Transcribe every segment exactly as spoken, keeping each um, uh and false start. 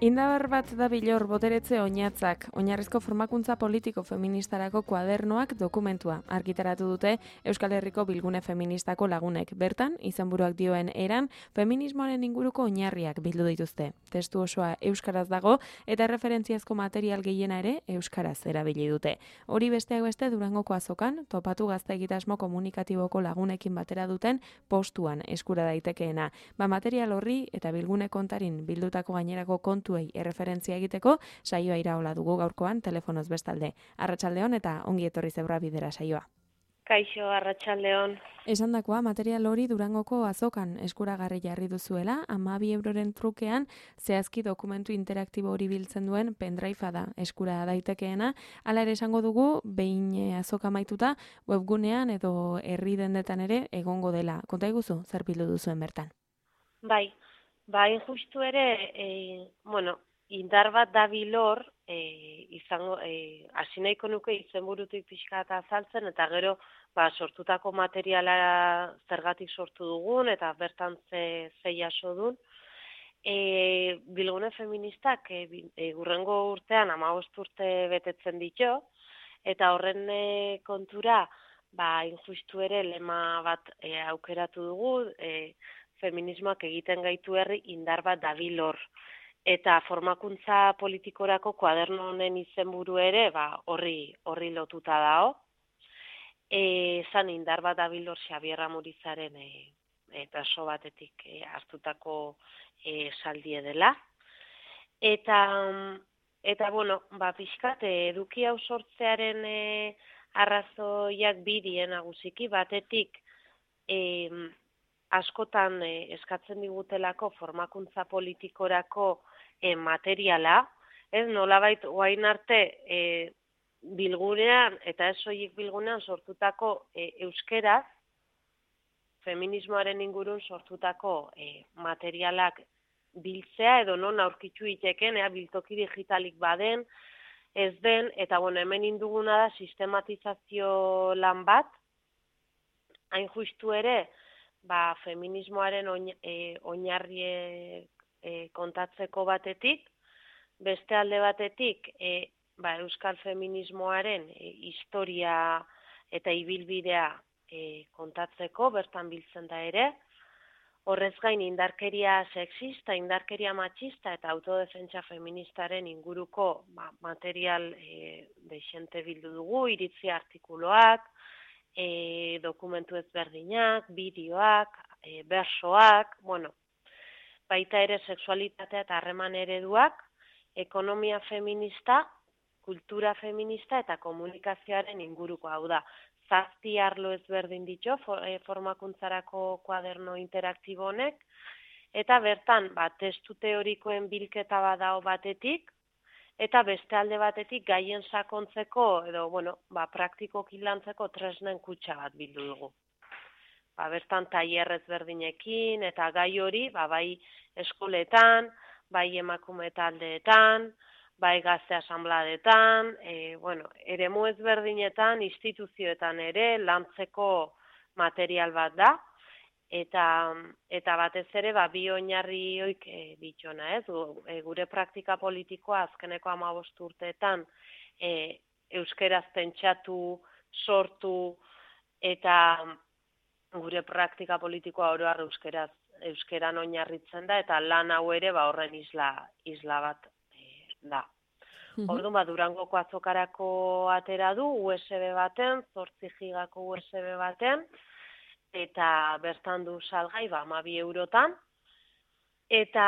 Indar bat da bilor boteretze oinatzak, oinarrizko formakuntza politiko feministarako kuadernoak dokumentua argitaratu dute Euskal Herriko bilgune feministako lagunek. Bertan, izenburuak dioen eran, feminismoaren inguruko oinarriak bildu dituzte. Testu osoa euskaraz dago eta referentziazko material gehiena ere euskaraz erabili dute. Hori besteak beste Durangoko azokan, topatu gazte egitasmo komunikatiboko lagunekin batera duten postuan eskura daitekeena. Ba material horri eta bilgune kontarin bildutako gainerako kontu tuei erreferentzia egiteko saioa iraola dugu gaurkoan telefonoz bestalde. Arratsaldeon eta ongi etorri zebra bidera saioa. Kaixo, arratsaldeon. Esandakoa material hori Durangoko azokan eskuragarri jarri duzuela, hamabi euroren trukean zehazki dokumentu interaktibo hori biltzen duen pendrive da eskura daitekeena. Hala ere esango dugu behin azoka amaituta webgunean edo herri dendetan ere egongo dela. Konta iguzu zer bildu duzuen bertan? Bai. Ba, justu ere, e, bueno, indar bat da bilor, e, izango, e, hasi nahiko nuke izenburutik pixka eta azaltzen, eta gero, ba, sortutako materiala zergatik sortu dugun, eta bertan ze, ze jaso duen. E, bilgune feministak, e, e, urrengo urtean, hamabost urte betetzen ditu, eta horren e, kontura, ba, injustu ere, lema bat e, aukeratu dugu, e, feminismoak egiten gaitu herri indar bat dabilor. Eta formakuntza politikorako kuaderno honen izenburu ere, ba, horri, horri lotuta dao. E, zan indar bat dabilor Xabier Amurizaren e, e, perso batetik e, hartutako e, saldie dela. Eta, eta bueno, ba, pixkat, eduki hau sortzearen e, arrazoiak bidien nagusiki batetik, e, askotan eh, eskatzen digutelako formakuntza politikorako eh, materiala, ez nolabait orain arte eh, bilgunean eta ez soilik bilgunean sortutako eh, euskeraz, feminismoaren ingurun sortutako eh, materialak biltzea edo non aurkitu iteken, ea biltoki digitalik baden, ez den, eta bueno, hemen induguna da sistematizazio lan bat, hain justu ere, ba, feminismoaren oinarri e, kontatzeko batetik, beste alde batetik e, ba, euskal feminismoaren e, historia eta ibilbidea e, kontatzeko, bertan biltzen da ere, horrez gain indarkeria sexista, indarkeria matxista eta autodefentsa feministaren inguruko ba, material e, deixente bildu dugu, iritzi artikuloak, E, dokumentu ezberdinak, bideoak, e, bersoak, bueno, baita ere sexualitatea eta harreman ereduak, ekonomia feminista, kultura feminista eta komunikazioaren inguruko hau da. Zazpi arlo ezberdin ditu for, e, formakuntzarako kuaderno interaktibo honek, eta bertan, ba, testu teorikoen bilketa badao batetik, eta beste alde batetik gaien sakontzeko edo bueno, ba, praktikoki lantzeko tresnen kutxa bat bildu dugu. Ba, bertan tailer ezberdinekin eta gai hori ba, bai eskoletan, bai emakume taldeetan, bai gazte asanbladetan, e, bueno, eremu ezberdinetan, instituzioetan ere lantzeko material bat da. Eta, eta batez ere ba, bi oinarri hoik e, ditxona, ez? E, gure praktika politikoa azkeneko hamabost urteetan e, euskeraz pentsatu, sortu eta gure praktika politikoa oro har euskeraz euskeran oinarritzen da eta lan hau ere ba, horren isla, isla bat e, da. Mm-hmm. Orduan ba, Durangoko azokarako atera du U S B baten, zortzi gigako U S B baten, eta bertan du salgai ba, hamabi eurotan, eta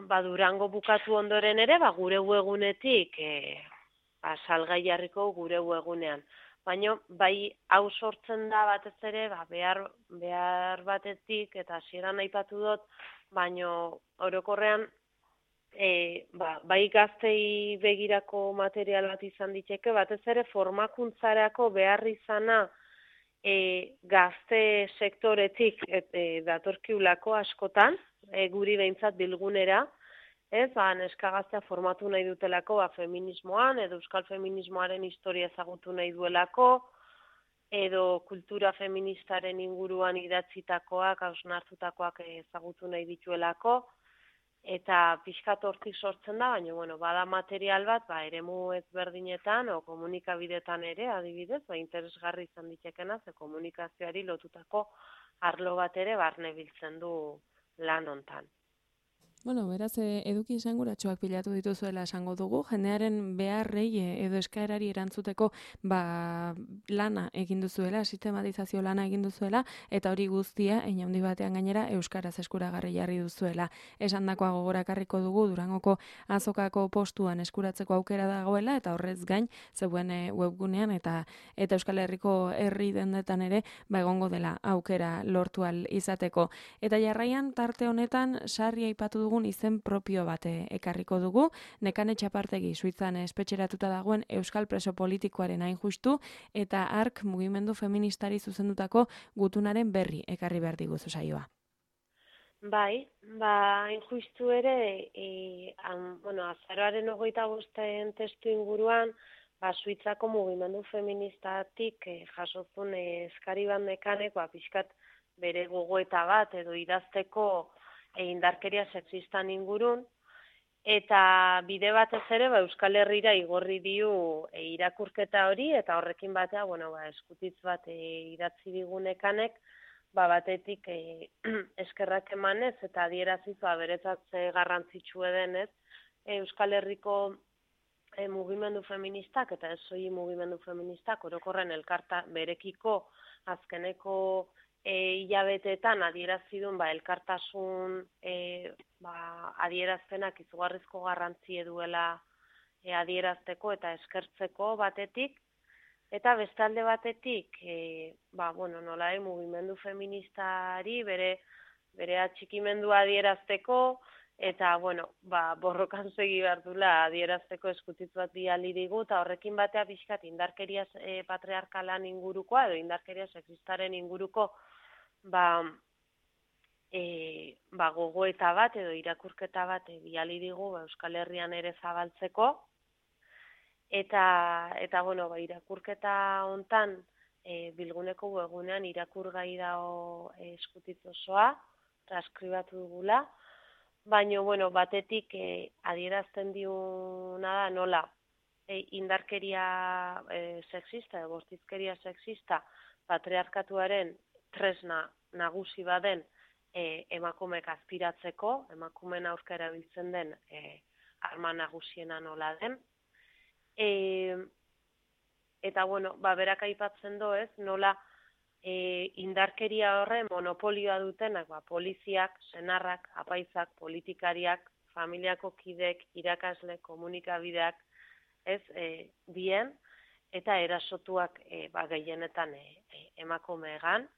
ba, Durango bukatu ondoren ere, ba, gure webgunetik e, ba, salgai jarriko gure webgunean. Baina bai hau sortzen da batez ere, ba, behar, behar batetik, eta hasieran aipatu dut, baina orokorrean e, ba, bai gaztei begirako material bat izan diteke, batez ere formakuntzarako behar izana, E, gazte sektoretik et, e, datorkiulako askotan, e, guri behintzat bilgunera, ez, ba, neska gaztea formatu nahi dutelako ba, feminismoan, edo euskal feminismoaren historia ezagutu nahi duelako, edo kultura feministaren inguruan idatzitakoak, hausnartutakoak ezagutu nahi dituelako, eta pixkat hortik sortzen da, baina bueno, bada material bat, ba, eremu ezberdinetan o komunikabidetan ere, adibidez, ba, interesgarri izan ditekena, ze komunikazioari lotutako arlo bat ere barne biltzen du lan hontan. Bueno, beraz, e, eduki esanguratsuak pilatu dituzuela esango dugu, jendearen beharrei e, edo eskaerari erantzuteko ba, lana egin duzuela, sistematizazio lana egin duzuela, eta hori guztia, hein handi batean gainera, euskaraz eskuragarri jarri duzuela. Esandakoa gogorakarriko dugu, Durangoko azokako postuan eskuratzeko aukera dagoela, eta horrez gain, zeuen e, webgunean, eta eta Euskal Herriko herri dendetan ere, ba, egongo dela aukera lortu ahal izateko. Eta jarraian, tarte honetan, sarri aipatu dugun izen propio bat ekarriko dugu, Nekane Txapartegi Suitzan espetxeratuta dagoen euskal preso politikoaren hain justu, eta ark mugimendu feministari zuzendutako gutunaren berri ekarri behar diguzu saioa. Bai, ba, hain justu ere, e, an, bueno, azaroaren hogeita bosten testu inguruan, ba, Suitzako mugimendu feministatik e, jasozun e, eskari bat Nekanek, ba, pixkat bere gogoeta bat edo idazteko e, indarkeria sexistan ingurun, eta bide batez ere ba, Euskal Herrira igorri diu e, irakurketa hori, eta horrekin batea, bueno, ba, eskutitz bat e, idatzi digu Nekanek, ba, batetik e, eskerrak emanez eta adieraziz ba, beretzat ze garrantzitsue denez e, Euskal Herriko e, mugimendu feministak eta ez soilik mugimendu feministak orokorren elkarta berekiko azkeneko e, hilabeteetan adierazidun ba, elkartasun e, ba, adierazpenak izugarrizko garrantzia duela e, adierazteko eta eskertzeko batetik. Eta bestalde batetik, e, ba, bueno, nola e, mugimendu feministari bere, bere atxikimendua adierazteko, eta, bueno, ba, borrokan segi behar dula adierazteko eskutitz bat biali digu, eta horrekin batea pixkat indarkeria e, patriarkalan ingurukoa, edo indarkeria sexistaren inguruko, ba, e, ba, gogoeta bat, edo irakurketa bat e, biali digu, ba, Euskal Herrian ere zabaltzeko. Eta, eta bueno, ba, irakurketa hontan e, bilguneko webgunean irakurgai dago e, eskutitz osoa, transkribatu dugula, baina, bueno, batetik e, adierazten diuna da nola e, indarkeria e, sexista, e, bortizkeria sexista, patriarkatuaren tresna nagusi baden e, emakumeek azpiratzeko, emakumeen aurka erabiltzen den e, arma nagusiena nola den. E, eta, bueno, ba, berak aipatzen do ez, nola e, indarkeria horre monopolioa dutenak, ba, poliziak, senarrak, apaizak, politikariak, familiako kidek, irakasle, komunikabideak, ez, e, dien, eta erasotuak e, ba, gehienetan e, e, emakumeegan.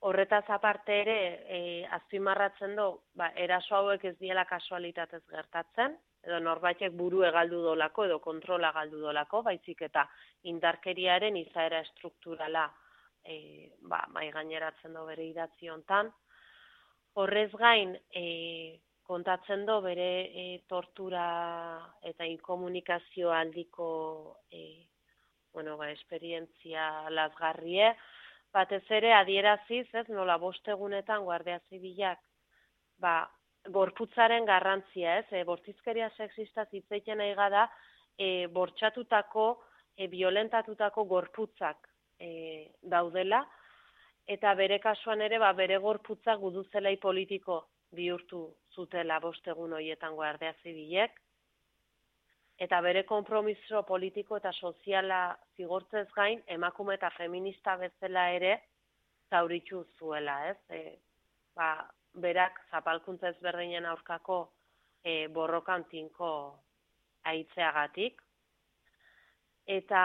Horretaz aparte ere, e, azpimarratzen do, ba, eraso hauek ez diela kasualitatez gertatzen, edo norbaitek buru egaldu dolako, edo kontrola galdu dolako, baizik eta indarkeriaren izaera estrukturala e, ba, mai gaineratzen do bere idatzi hontan. Horrez gain, e, kontatzen do bere e, tortura eta inkomunikazio aldiko e, bueno, ba, esperientzia lazgarrie, batez ere adieraziz, ez, nola bost egunetan Guardia Zibilak, ba, gorputzaren garrantzia, ez, e, bortizkeria sexista hitzeiten nahi gada, e, bortxatutako, e, violentatutako gorputzak e, daudela, eta bere kasuan ere, ba, bere gorputzak guduzelai politiko bihurtu zutela bost egun horietan Guardia Zibilek, eta bere konpromiso politiko eta soziala zigortzez gain, emakume eta feminista bezala ere zauritu zuela, ez, e, ba, berak zapalkuntza ezberdinen aurkako e, borrokan tinko aitzeagatik. Eta,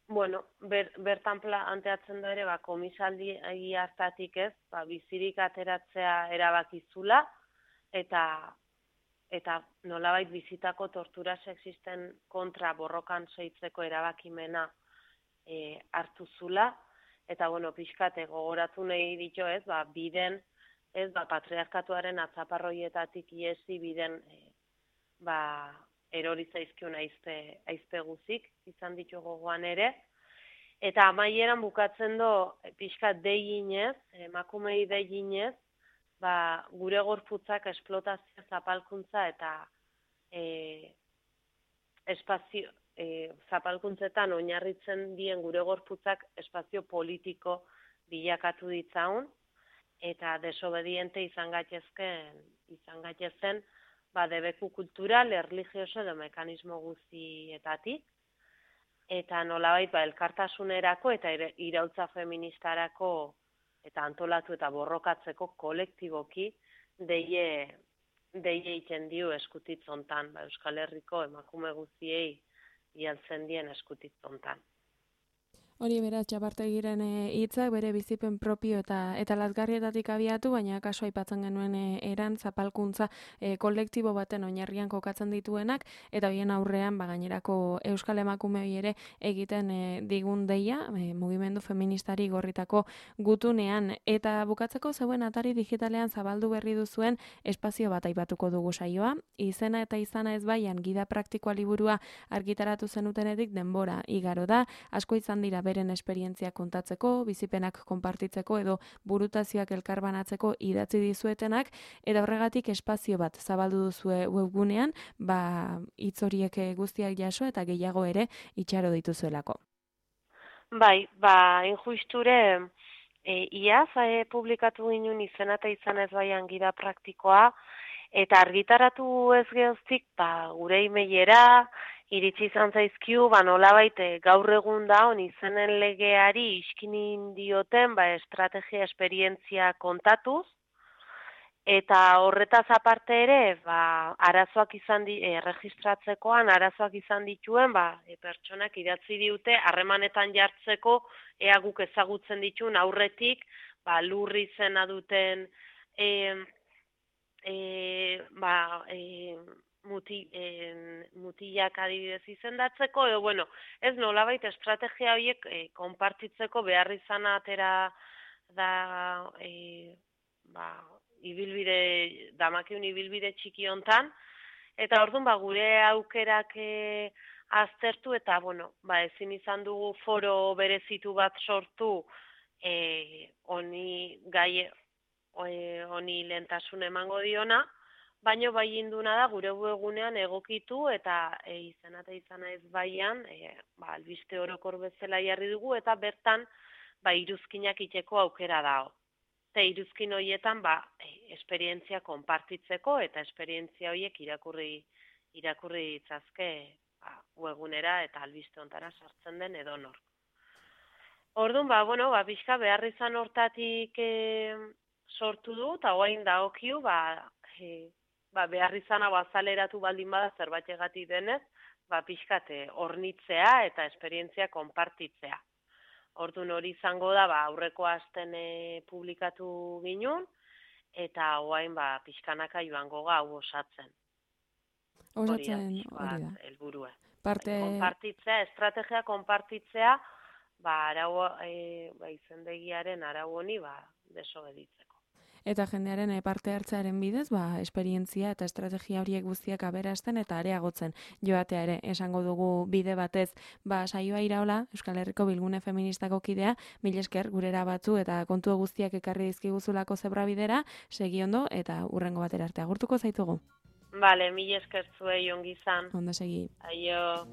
bueno, ber, bertan planteatzen da ere, ba, komisaldi hartatik ez, ba, bizirik ateratzea erabakizula, eta, eta nolabait bizitako tortura sexisten kontra borrokan seitzeko erabakimena e, hartu zula, eta, bueno, pixkate gogoratu nahi ditu ez, ba, biden, ez, ba, patriarkatuaren atzaparroietatik iesi biden e, ba, erori zaizkion aizpe, aizpe guzik, izan ditu gogoan ere. Eta amaieran bukatzen do, pixkat deiginez, emakumei deiginez, ba, gure gorputzak esplotazio zapalkuntza eta e, espazio, e, zapalkuntzetan oinarritzen dien gure gorputzak espazio politiko bilakatu ditzaun, eta desobediente izan gaitezken, izan gaitezen, ba, debeku kultural, erlijioso edo mekanismo guztietatik, eta nolabait ba, elkartasunerako eta iraultza feministarako eta antolatu eta borrokatzeko kolektiboki deie, deie iten dio eskutitzontan, ba, Euskal Herriko emakume guztiei bialtzen dien eskutitzontan. Hori beraz, Txapartegiren hitzak bere bizipen propio eta eta lazgarrietatik abiatu, baina kaso aipatzen genuen e, eran zapalkuntza e, kolektibo baten oinarrian kokatzen dituenak, eta hoien aurrean ba, gainerako euskal emakumeoi ere egiten e, digun deia, e, mugimendu feministari gorritako gutunean. Eta bukatzeko zeuen atari digitalean zabaldu berri duzuen espazio bat aipatuko dugu saioa. Izena eta izana ez baian gida praktikoa liburua argitaratu zenutenetik denbora igaro da, asko izan dira beren esperientzia kontatzeko, bizipenak konpartitzeko edo burutazioak elkarbanatzeko idatzi dizuetenak, eta horregatik espazio bat zabaldu duzue webgunean, ba hitz horiek guztiak jaso eta gehiago ere itxaro dituzuelako. Bai, ba, injusture, e, iaz e, publikatu ginen izena eta izan ez baian gida praktikoa, eta argitaratu ez gehoztik, ba, gure emailera, iritsi izan zaizkiu, ba, nolabait gaur egun da on izenen legeari iskinin dioten ba, estrategia esperientzia kontatuz, eta horretaz aparte ere, ba, arazoak izan di, e, registratzekoan arazoak izan dituen, ba, e, pertsonak idatzi diute harremanetan jartzeko ea guk ezagutzen dituen aurretik, ba, lurri izena duten e, e, ba, e, Muti, en, mutilak adibidez izendatzeko, edo, bueno, ez nolabait estrategia horiek e, konpartitzeko behar izan atera da, e, ba, ibilbide, damakiun ibilbide txiki hontan, eta orduan, ba, gure aukerak e, aztertu, eta, bueno, ba, ezin izan dugu foro berezitu bat sortu, e, honi gai, honi lehentasun emango diona, baino bai induna da gure webgunean egokitu eta e, izena eta izana ez baian, e, ba, albiste orokor bezala jarri dugu eta bertan ba, iruzkinak iteko aukera dago. Eta iruzkin horietan ba, e, esperientzia konpartitzeko eta esperientzia horiek irakurri, irakurri ditzazke ba, webgunera eta albiste ontara sartzen den edonor. Orduan, ba, bueno, ba, pixka behar izan hortatik e, sortu du, eta hoain dagokiu, ba, e, ba, behar izan hau azaleratu baldin bada zerbaitegatik denez, ba, pixkate hornitzea eta esperientzia konpartitzea. Orduan hori izango da, ba, aurreko asten e, publikatu ginun, eta hoain ba, pixkanaka joango ga hau osatzen. Osatzen hori da. Helburua. Parte... Konpartitzea, estrategia konpartitzea, ba, arau, e, ba, izendegiaren arau honi ba, desobeditzeko. Eta jendearen parte hartzearen bidez, ba, esperientzia eta estrategia horiek guztiak aberasten eta areagotzen joatea ere esango dugu bide batez. Ba, saioa iraola, Euskal Herriko Bilgune Feministako kidea, mil esker gurera batzu eta kontu guztiak ekarri dizkiguzulako zebrabidera, segi ondo eta hurrengo batera arte agurtuko zaitugu. Bale, mil esker zuei ongi izan. Ondo segi. Aio.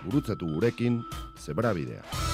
Gurutzatu gurekin Zebrabidea.